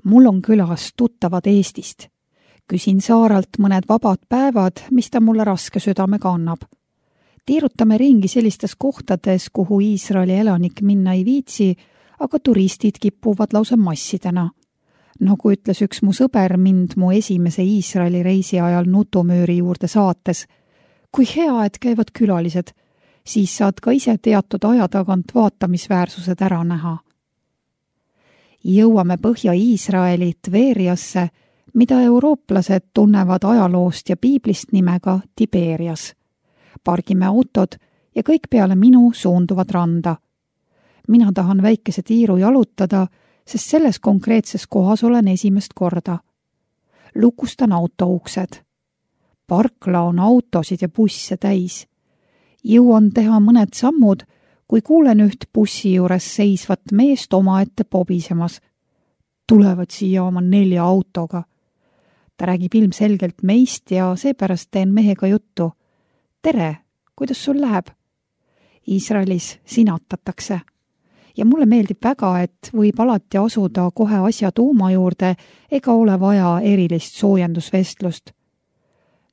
Mul on külas tuttavad Eestist. Küsin Saaralt mõned vabad päevad, mis ta mulle raske südamega annab. Tiirutame ringi sellistes kohtades, kuhu Iisraeli elanik minna ei viitsi, aga turistid kipuvad lausa massidena. Nagu ütles üks mu sõber mind mu esimese Iisraeli reisi ajal nutumööri juurde saates. Kui hea, et käivad külalised, siis saad ka ise teatud aja tagant vaatamisväärsused ära näha. Jõuame Põhja-Iisraeli Tveriasse, mida eurooplased tunnevad ajaloost ja piiblist nimega Tiberias. Pargime autod ja kõik peale minu suunduvad randa. Mina tahan väikese tiiru jalutada, sest selles konkreetses kohas olen esimest korda. Lukustan auto uksed. Parkla on autosid ja busse täis. Jõuan teha mõned sammud, kui kuulen üht bussi juures seisvat meest omaette pobisemas. Tulevad siia oma 4 autoga. Ta räägib ilmselgelt meist ja seepärast teen mehega juttu. Tere, kuidas sul läheb? Iisraelis sinatatakse. Ja mulle meeldib väga, et võib alati asuda kohe asja tuuma juurde ega ole vaja erilist soojendusvestlust.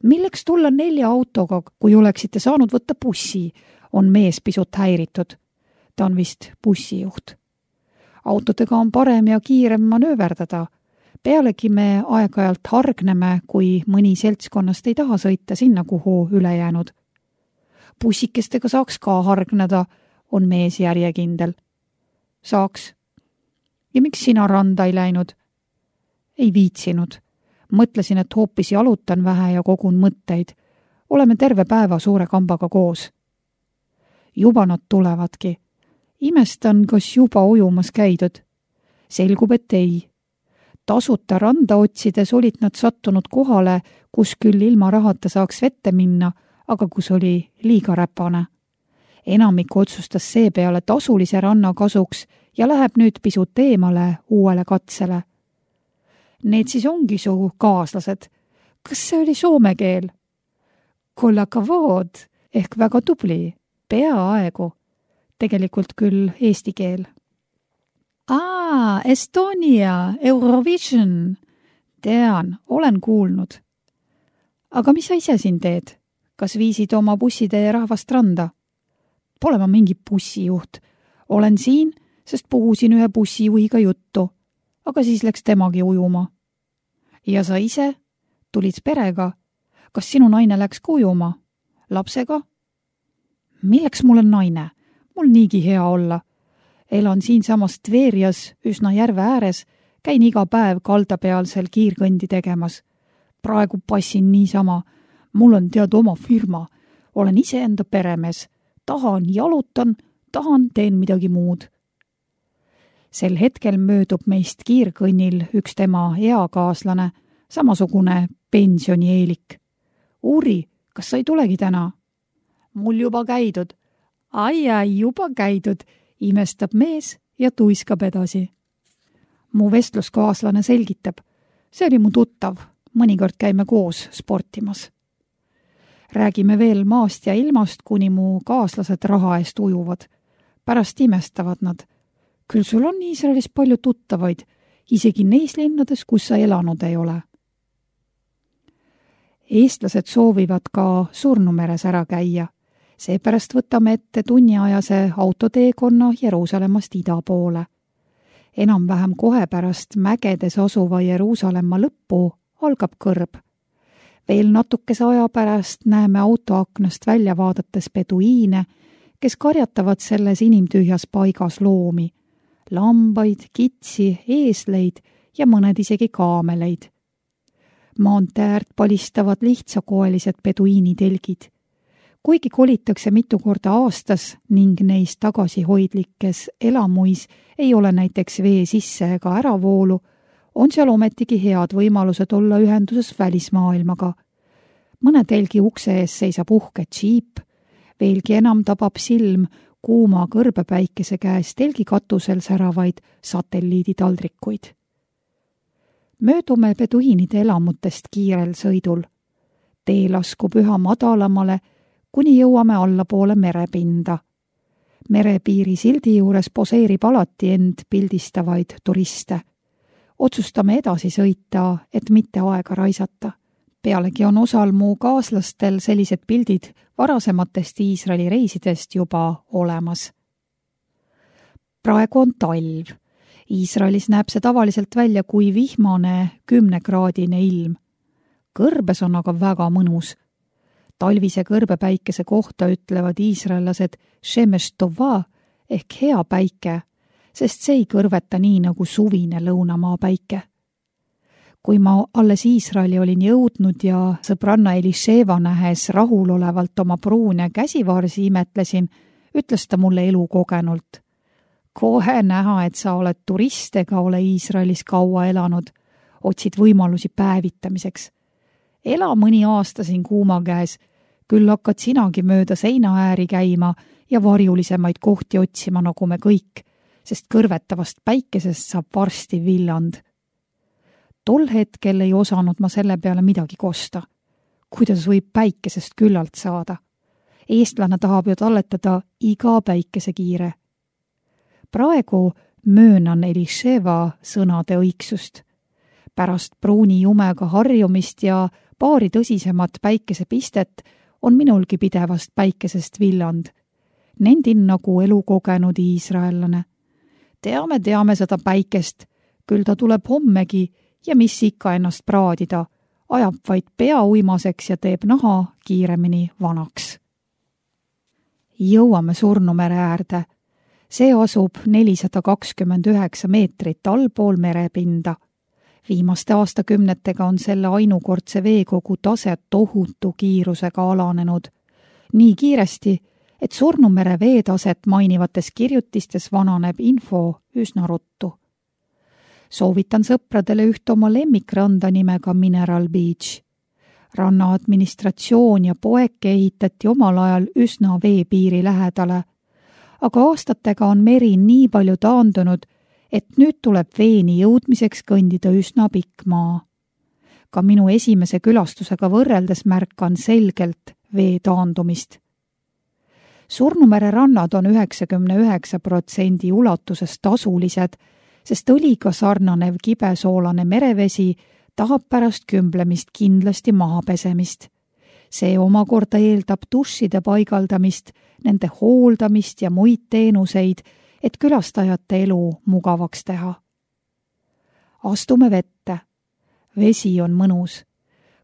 Milleks tulla 4 autoga, kui oleksite saanud võtta bussi, on mees pisut häiritud. Ta on vist bussijuht. Autodega on parem ja kiirem manööverdada. Pealegi me aeg-ajalt hargneme, kui mõni seltskonnast ei taha sõita sinna, kuhu ülejäänud. Bussikestega saaks ka hargneda, on mees järjekindel. Saaks. Ja miks sina randa ei läinud? Ei viitsinud. Mõtlesin, et hoopis jalutan vähe ja kogun mõtteid. Oleme terve päeva suure kambaga koos. Juba nad tulevadki. Imestan, kas juba ujumas käidud. Selgub, et ei. Tasuta randa otsides olid nad sattunud kohale, kus küll ilma rahata saaks vette minna, aga kus oli liiga räpane. Enamik otsustas seepeale tasulise ranna kasuks ja läheb nüüd pisut eemale uuele katsele. Need siis ongi su kaaslased. Kas see oli soome keel? Kolla kavod ehk väga tubli, peaaegu. Tegelikult küll eesti keel. Estonia, Eurovision. Tean, olen kuulnud. Aga mis sa ise siin teed? Kas viisid oma bussitee rahvast randa? Pole ma mingi bussijuht. Olen siin, sest puhusin ühe bussijuhiga juttu. Aga siis läks temagi ujuma. Ja sa ise? Tulid perega? Kas sinu naine läks ujuma? Lapsega? Milleks mul on naine? Mul niigi hea olla. Elan siinsamas Tverias üsna järve ääres, käin iga päev kaldapealsel kiirkõndi tegemas. Praegu passin niisama. Mul on tead oma firma. Olen iseenda peremees. Tahan jalutan, tahan teen midagi muud. Sel hetkel möödub meist kiirkõnnil üks tema eakaaslane, samasugune pensionieelik. Uuri, kas sa ei tulegi täna? Mul juba käidud. Ai, juba käidud, imestab mees ja tuiskab edasi. Mu vestluskaaslane selgitab. See oli mu tuttav, mõnikord käime koos sportimas. Räägime veel maast ja ilmast, kuni mu kaaslased raha eest ujuvad. Pärast imestavad nad. Küll sul on Iisraelis palju tuttavaid, isegi neis linnades, kus sa elanud ei ole. Eestlased soovivad ka Surnumeres ära käia. Seepärast võtame ette tunniajase autoteekonna Jeruusalemmast ida poole. Enam-vähem kohe pärast mägedes asuva Jeruusalemma lõppu algab kõrb. Veel natukese aja pärast näeme autoaknast välja vaadates peduiine, kes karjatavad selles inimtühjas paigas loomi. Lambaid, kitsi, eesleid ja mõned isegi kaameleid. Maanteäärt palistavad lihtsakoelised peduiinitelgid. Kuigi kolitakse mitu korda aastas ning neis tagasihoidlikes elamuis ei ole näiteks vee sisse ega äravoolu, on seal ometigi head võimalused olla ühenduses välismaailmaga. Mõne telgi ukse ees seisab uhke džiip, veelgi enam tabab silm kuuma kõrbepäikese käes telgi katusel säravaid satelliiditaldrikuid. Möödume peduiinide elamutest kiirel sõidul. Tee laskub üha madalamale, kuni jõuame allapoole merepinda. Merepiiri sildi juures poseerib alati end pildistavaid turiste. Otsustame edasi sõita, et mitte aega raisata. Pealegi on osal mu kaaslastel sellised pildid varasematest Iisraeli reisidest juba olemas. Praegu on talv. Iisraelis näeb see tavaliselt välja kui vihmane 10-kraadine ilm. Kõrbes on aga väga mõnus. Talvise kõrbepäikese kohta ütlevad iisraellased shemesh tova ehk hea päike, sest see ei kõrveta nii nagu suvine lõunamaa päike. Kui ma alles Iisraeli olin jõudnud ja sõbranna Elisheva nähes rahulolevalt oma pruune käsivarsi imetlesin, ütles ta mulle elukogenult. Kohe näha, et sa oled turist ega ole Iisraelis kaua elanud, otsid võimalusi päevitamiseks. Ela mõni aasta siin kuuma käes, küll hakkad sinagi mööda seinaääri käima ja varjulisemaid kohti otsima nagu me kõik, sest kõrvetavast päikesest saab varsti villand. Tol hetkel ei osanud ma selle peale midagi kosta. Kuidas võib päikesest küllalt saada? Eestlane tahab ju talletada iga päikesekiire. Praegu möönan Elisheva sõnade õigsust. Pärast pruuni jumega harjumist ja paari tõsisemat päikesepistet on minulgi pidevast päikesest villand. Nendin nagu elukogenud iisraellane. Teame seda päikest, küll ta tuleb hommegi ja mis ikka ennast praadida, ajab vaid pea uimaseks ja teeb naha kiiremini vanaks. Jõuame Surnumere äärde. See asub 429 meetrit allpool merepinda. Viimaste aastakümnetega on selle ainukordse veekogu tase tohutu kiirusega alanenud. Nii kiiresti, et Surnumere veetaset mainivates kirjutistes vananeb info üsna ruttu. Soovitan sõpradele üht oma lemmikranda nimega Mineral Beach. Ranna administratsioon ja poeke ehitati omal ajal üsna veepiiri lähedale, aga aastatega on meri nii palju taandunud, et nüüd tuleb veeni jõudmiseks kõndida üsna pikk maa. Ka minu esimese külastusega võrreldes märkan selgelt vee taandumist. Surnumere rannad on 99% ulatuses tasulised, sest õliga sarnanev kibesoolane merevesi tahab pärast kümblemist kindlasti maha pesemist. See omakorda eeldab dušide paigaldamist, nende hooldamist ja muid teenuseid, et külastajate elu mugavaks teha. Astume vette. Vesi on mõnus.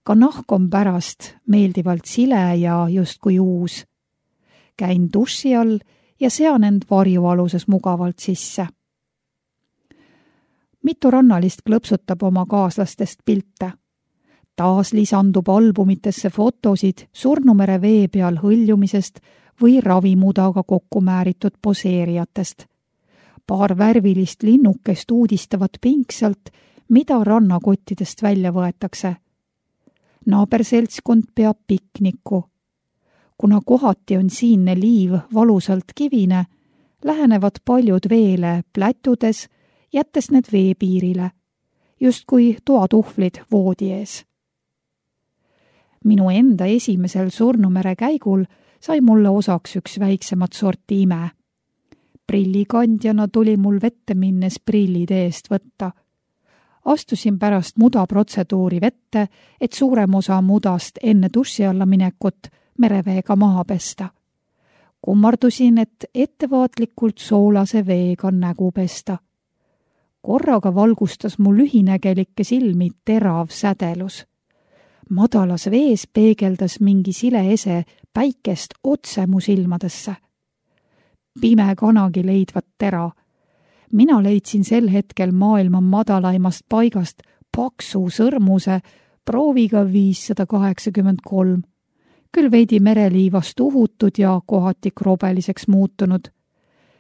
Ka nahk on pärast meeldivalt sile ja justkui uus. Käin duši all ja sean end varjualuses mugavalt sisse. Mitu rannalist klõpsutab oma kaaslastest pilte. Taas lisandub albumitesse fotosid Surnumere vee peal hõljumisest või ravimudaga kokku määritud poseerijatest. Paar värvilist linnukest uudistavad pingsalt, mida rannakottidest välja võetakse. Naaberseltskond peab pikniku. Kuna kohati on siinne liiv valusalt kivine, lähenevad paljud veele plätudes, jättes need veepiirile, justkui toatuhvlid voodi ees. Minu enda esimesel Surnumere käigul sai mulle osaks üks väiksemat sorti ime. Prillikandjana tuli mul vette minnes prillid eest võtta. Astusin pärast mudaprotseduuri vette, et suurem osa mudast enne duši alla minekut mereveega maha pesta. Kummardusin, et ettevaatlikult soolase veega nägu pesta. Korraga valgustas mu lühinägelikke silmi terav sädelus. Madalas vees peegeldas mingi sile ese päikest otse mu silmadesse. Pime kanagi leidvat tera. Mina leidsin sel hetkel maailma madalaimast paigast paksu sõrmuse prooviga 583. Küll veidi mereliivast uhutud ja kohati krobeliseks muutunud.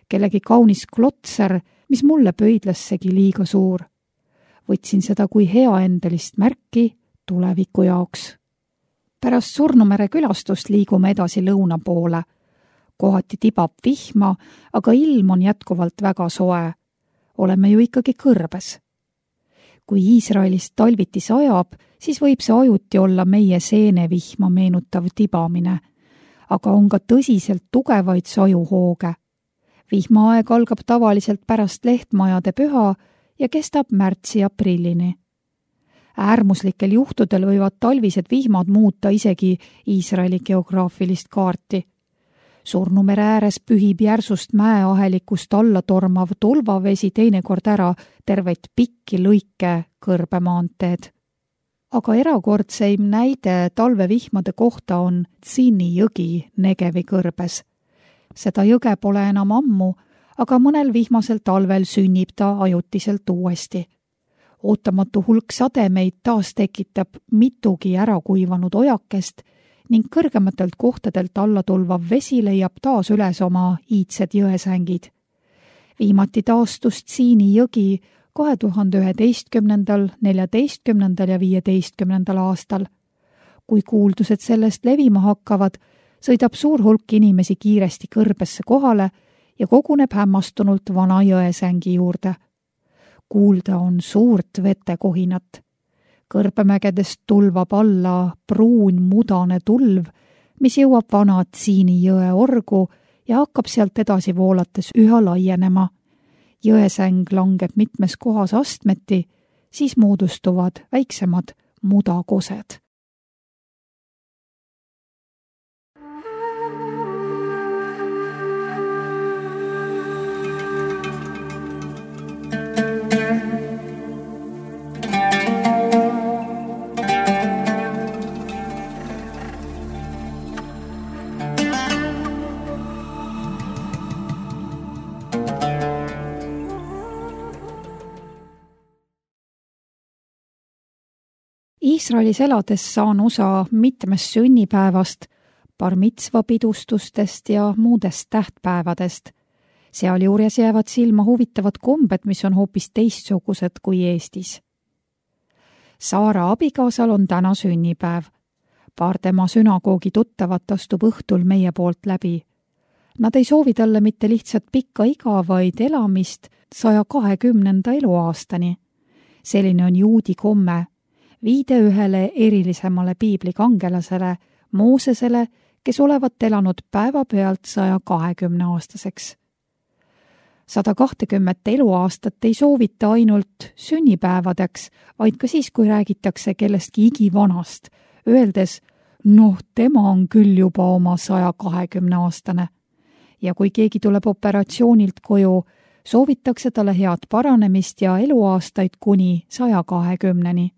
Kellegi kaunis klotser, mis mulle pöidlassegi liiga suur. Võtsin seda kui heaendelist märki tuleviku jaoks. Pärast Surnumere külastust liigume edasi lõuna poole. Kohati tibab vihma, aga ilm on jätkuvalt väga soe. Oleme ju ikkagi kõrbes. Kui Iisraelist talviti sajab, siis võib see ajuti olla meie seenevihma meenutav tibamine, aga on ka tõsiselt tugevaid sajuhooge. Vihmaaeg algab tavaliselt pärast lehtmajade püha ja kestab märtsi-aprillini. Äärmuslikel juhtudel võivad talvised vihmad muuta isegi Iisraeli geograafilist kaarti. Surnumere ääres pühib järsust mäeahelikust alla tormav tulvavesi teinekord ära terveid pikki lõike kõrbemaanteed. Aga erakordseim näide talvevihmade kohta on Tzini jõgi Negevi kõrbes. Seda jõge pole enam ammu, aga mõnel vihmasel talvel sünnib ta ajutiselt uuesti. Ootamatu hulk sademeid taas tekitab mitugi ära kuivanud ojakest ning kõrgematelt kohtadelt alla tulvav vesi leiab taas üles oma iidsed jõesängid. Viimati taastus Tsiini jõgi 2011., 14. ja 15. aastal. Kui kuuldused sellest levima hakkavad, sõidab suur hulk inimesi kiiresti kõrbesse kohale ja koguneb hämmastunult vana jõesängi juurde. Kuulda on suurt vetekohinat. Kõrbemägedest tulvab alla pruun mudane tulv, mis jõuab vana Tsiini jõe orgu ja hakkab sealt edasi voolates üha laienema. Jõesäng langeb mitmes kohas astmeti, siis moodustuvad väiksemad mudakosed. Iisraelis elades saan osa mitmest sünnipäevast, bar mitzva pidustustest ja muudest tähtpäevadest. Sealjuures jäävad silma huvitavad kombed, mis on hoopis teistsugused kui Eestis. Saara abikaasal on täna sünnipäev. Paar tema sünagoogi tuttavat astub õhtul meie poolt läbi. Nad ei soovi talle mitte lihtsalt pikka iga, vaid elamist 120. eluaastani. Selline on juudi komme. Viide ühele erilisemale piiblikangelasele, Moosesele, kes olevat elanud päevapealt 120-aastaseks. 120 eluaastat ei soovita ainult sünnipäevadeks, vaid ka siis, kui räägitakse kellestki igivanast, öeldes, tema on küll juba oma 120-aastane. Ja kui keegi tuleb operatsioonilt koju, soovitakse talle head paranemist ja eluaastaid kuni 120-ni.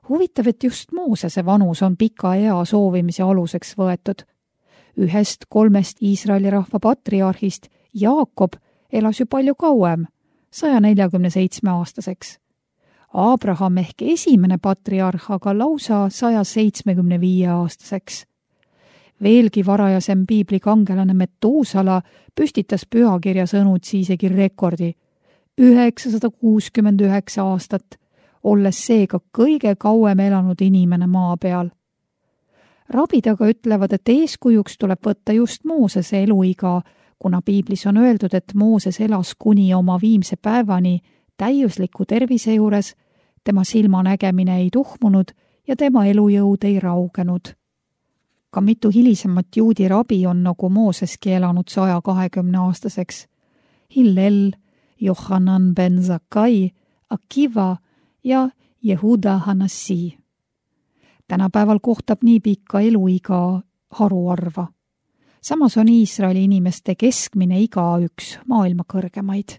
Huvitav, et just Moosese vanus on pika ea soovimise aluseks võetud. 1-3 Iisraeli rahva patriarhist Jaakob elas ju palju kauem, 147-aastaseks. Abraham ehk esimene patriarh aga lausa 175-aastaseks. Veelgi varajasem piiblikangelane Metuusala püstitas pühakirja sõnutsi isegi rekordi 969 aastat, olles seega kõige kauem elanud inimene maa peal. Rabid aga ütlevad, et eeskujuks tuleb võtta just Moosese eluiga, kuna piiblis on öeldud, et Mooses elas kuni oma viimse päevani täiusliku tervise juures, tema silmanägemine ei tuhmunud ja tema elujõud ei raugenud. Ka mitu hilisemat juudi rabi on nagu Mooseski elanud 120-aastaseks. Hillel, Johanan ben Zakkai, Akiva ja Jehuda Hanassi. Tänapäeval kohtab nii pikka eluiga haruarva. Samas on Iisraeli inimeste keskmine iga üks maailma kõrgemaid.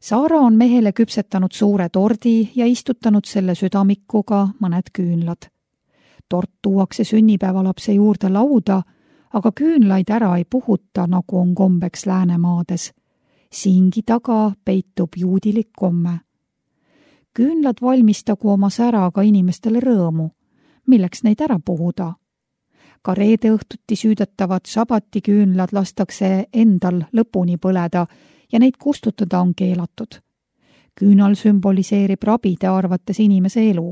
Saara on mehele küpsetanud suure tordi ja istutanud selle südamikuga mõned küünlad. Tort tuuakse sünnipäevalapse juurde lauda, aga küünlaid ära ei puhuta, nagu on kombeks Läänemaades. Siingi taga peitub juudilik komme. Küünlad valmistagu oma säraga inimestele rõõmu, milleks neid ära puhuda. Ka reede õhtuti süüdatavad šabatiküünlad lastakse endal lõpuni põleda ja neid kustutada on keelatud. Küünal sümboliseerib rabide arvates inimese elu.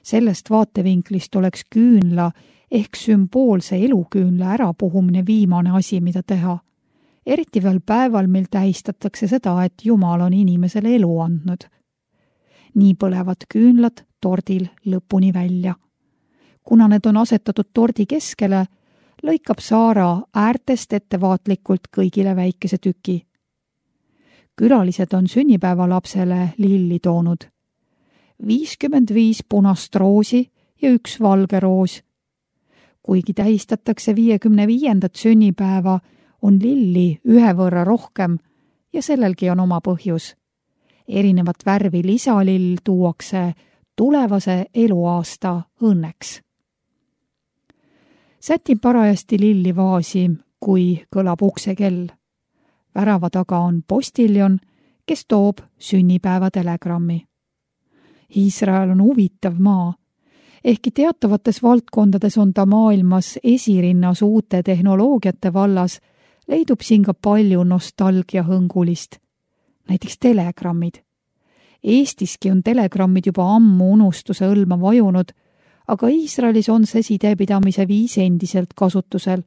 Sellest vaatevinklist oleks küünla ehk sümboolse eluküünla ärapuhumine viimane asi, mida teha. Eriti veel päeval, mil tähistatakse seda, et Jumal on inimesele elu andnud. Nii põlevad küünlad tordil lõpuni välja. Kuna need on asetatud tordi keskele, lõikab Saara äärtest ettevaatlikult kõigile väikese tüki. Külalised on sünnipäevalapsele lilli toonud. 55 punast roosi ja 1 valge roos. Kuigi tähistatakse 55. sünnipäeva, on lilli 1 võrra rohkem ja sellelgi on oma põhjus. Erinevat värvi lisalill tuuakse tulevase eluaasta õnneks. Sätin parajasti lilli vaasi, kui kõlab uksekell. Värava taga on postiljon, kes toob sünnipäeva telegrammi. Iisrael on huvitav maa. Ehkki teatavates valdkondades on ta maailmas esirinnas uute tehnoloogiate vallas, leidub siin ka palju nostalgiahõngulist. Näiteks telegrammid. Eestiski on telegrammid juba ammu unustuse õlma vajunud, aga Iisraelis on see sidepidamise viis endiselt kasutusel.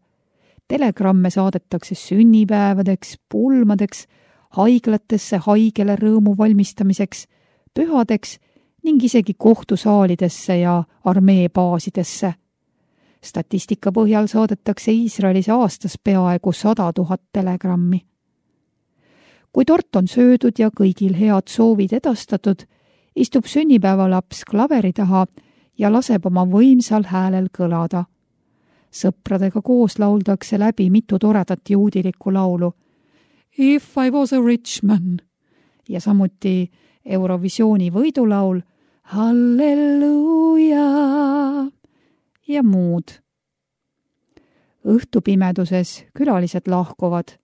Telegramme saadetakse sünnipäevadeks, pulmadeks, haiglatesse haigele rõõmu valmistamiseks, pühadeks ning isegi kohtusaalidesse ja armeebaasidesse. Statistika põhjal saadetakse Iisraelis aastas peaaegu 100 000 telegrammi. Kui tort on söödud ja kõigil head soovid edastatud, istub sünnipäevalaps klaveri taha ja laseb oma võimsal häälel kõlada. Sõpradega koos lauldakse läbi mitu toredat juudilikku laulu. If I was a rich man ja samuti Eurovisiooni võidulaul Halleluuja ja muud. Õhtupimeduses külalised lahkuvad.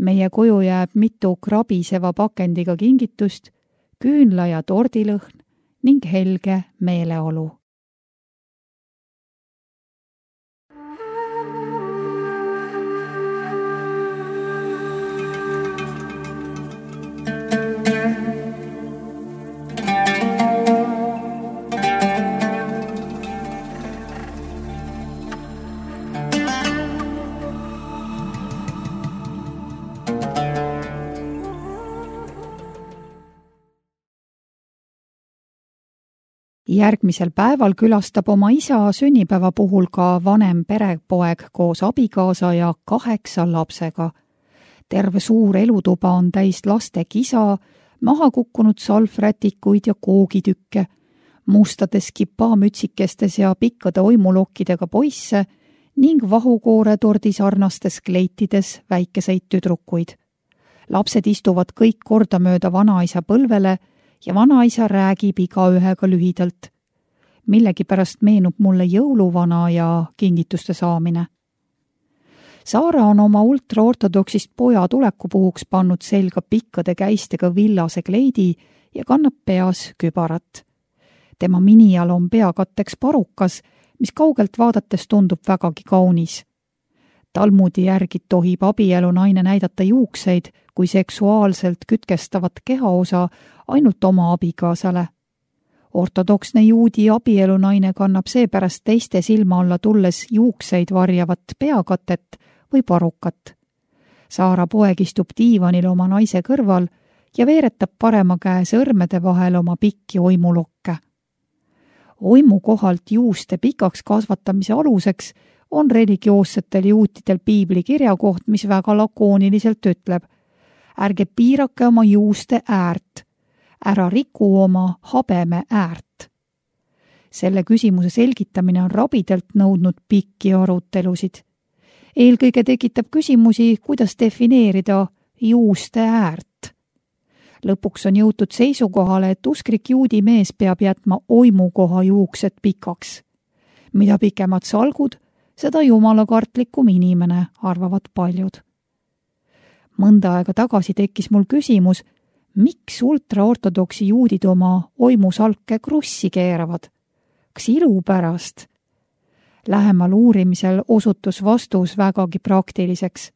Meie koju jääb mitu krabiseva pakendiga kingitust, küünla ja tordilõhn ning helge meeleolu. Järgmisel päeval külastab oma isa sünnipäeva puhul ka vanem perepoeg koos abikaasa ja 8 lapsega. Terve suur elutuba on täis laste kisa, maha kukkunud salvrätikuid ja koogitükke, mustades kipaamütsikestes ja pikkade oimulokkidega poisse ning vahukoore-tordi sarnastes kleitides väikeseid tüdrukuid. Lapsed istuvad kõik kordamööda vanaisa põlvele ja vanaisa räägib igaühega lühidalt. Millegipärast meenub mulle jõuluvana ja kingituste saamine. Saara on oma ultraortodoksist poja tulekupuhuks pannud selga pikkade käistega villase kleidi ja kannab peas kübarat. Tema minial on peakatteks parukas, mis kaugelt vaadates tundub vägagi kaunis. Talmudi järgi tohib abielunaine näidata juukseid kui seksuaalselt kütkestavat kehaosa ainult oma abikaasale. Ortodoksne juudi abielunaine kannab seepärast teiste silma alla tulles juukseid varjavat peakatet või parukat. Saara poeg istub diivanil oma naise kõrval ja veeretab parema käe sõrmede vahel oma pikki oimulokke. Oimu kohalt juuste pikaks kasvatamise aluseks on religioossetel juutidel piibli kirjakoht, mis väga lakooniliselt ütleb: ärge piirake oma juuste äärt, ära riku oma habeme äärt. Selle küsimuse selgitamine on rabidelt nõudnud pikki arutelusid. Eelkõige tekitab küsimusi, kuidas defineerida juuste äärt. Lõpuks on jõutud seisukohale, et usklik juudi mees peab jätma oimukoha juuksed pikaks. Mida pikemad salgud, seda jumalakartlikum inimene, arvavad paljud. Mõnda aega tagasi tekkis mul küsimus, miks ultraortodoksi juudid oma oimusalke krussi keeravad? Kas ilu pärast? Lähemal uurimisel osutus vastus vägagi praktiliseks.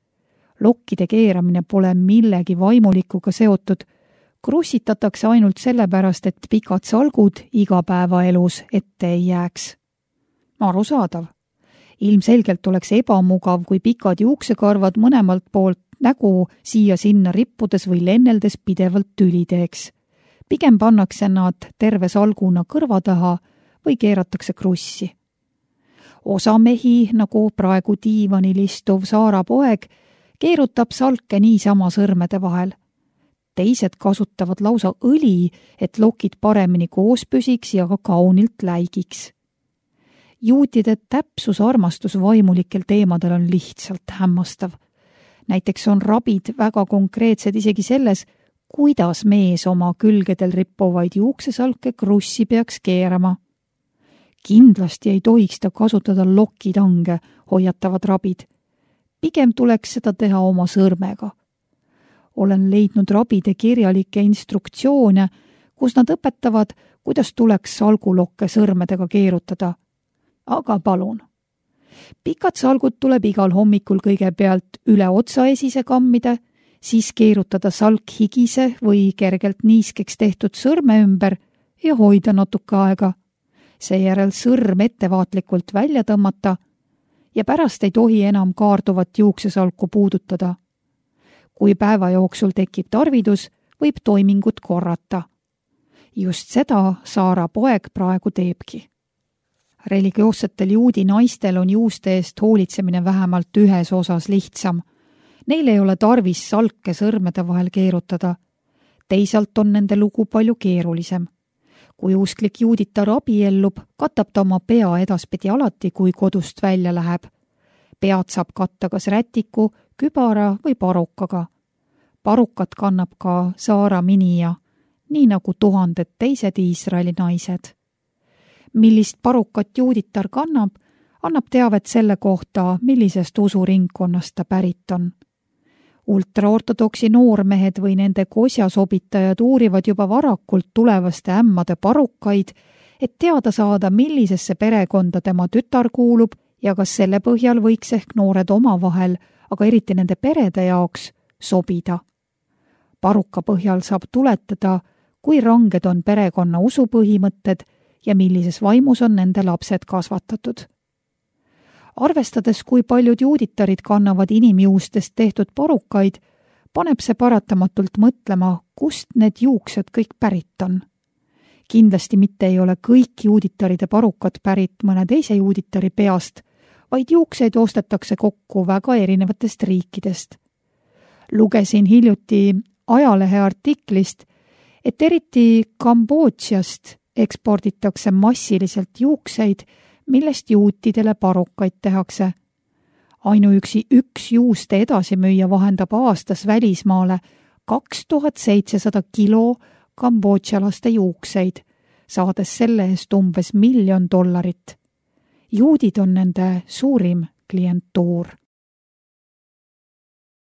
Lokkide keeramine pole millegi vaimulikuga seotud, krussitatakse ainult sellepärast, et pikad salgud igapäevaelus ette ei jääks. Arusaadav. Ilmselgelt oleks ebamugav, kui pikad juuksekarvad mõlemalt poolt nägu siia-sinna rippudes või lenneldes pidevalt tüli teeks. Pigem pannakse nad terve salguna kõrva taha või keeratakse krussi. Osa mehi, nagu praegu diivanil istuv Saara poeg, keerutab salke niisama sõrmede vahel. teised kasutavad lausa õli, et lokid paremini koos püsiks ja ka kaunilt läigiks. Juutide täpsusarmastus vaimulikel teemadel on lihtsalt hämmastav. Näiteks on rabid väga konkreetsed isegi selles, kuidas mees oma külgedel rippuvaid juuksesalke krussi peaks keerama. Kindlasti ei tohiks ta kasutada lokitange, hoiatavad rabid. Pigem tuleks seda teha oma sõrmega. Olen leidnud rabide kirjalikke instruktsioone, kus nad õpetavad, kuidas tuleks salgulokke sõrmedega keerutada. Aga palun. Pikad salgud tuleb igal hommikul kõigepealt üle otsaesise kammida, siis keerutada salk higise või kergelt niiskeks tehtud sõrme ümber ja hoida natuke aega. Seejärel sõrm ettevaatlikult välja tõmmata ja pärast ei tohi enam kaarduvat juuksesalku puudutada. Kui päeva jooksul tekib tarvidus, võib toimingut korrata. Just seda Saara poeg praegu teebki. Religioossetel juudi naistel on juuste eest hoolitsemine vähemalt ühes osas lihtsam. Neil ei ole tarvis salke sõrmede vahel keerutada. Teisalt on nende lugu palju keerulisem. Kui usklik juuditar abiellub, katab ta oma pea edaspidi alati, kui kodust välja läheb. Pead saab katta kas rätiku, kübara või parukaga. Parukat kannab ka Saara minija, nii nagu tuhanded teised Iisraeli naised. Millist parukat juuditar kannab, annab teavet selle kohta, millisest usuringkonnast ta pärit on. Ultraortodoksi noormehed või nende kosjasobitajad uurivad juba varakult tulevaste ämmade parukaid, et teada saada, millisesse perekonda tema tütar kuulub ja kas selle põhjal võiks ehk noored omavahel, aga eriti nende perede jaoks, sobida. Paruka põhjal saab tuletada, kui ranged on perekonna usupõhimõtted ja millises vaimus on nende lapsed kasvatatud. Arvestades, kui paljud juuditarid kannavad inimjuustest tehtud parukaid, paneb see paratamatult mõtlema, kust need juuksed kõik pärit on. Kindlasti mitte ei ole kõik juuditaride parukad pärit mõne teise juuditari peast, vaid juukseid ostetakse kokku väga erinevatest riikidest. Lugesin hiljuti ajalehe artiklist, et eriti Kambodžast eksporditakse massiliselt juukseid, millest juutidele parukaid tehakse. Ainuüksi üks juuste edasimüüja vahendab aastas välismaale 2700 kilo kambodžalaste juukseid, saades selle eest umbes $1 000 000. Juudid on nende suurim klientuur.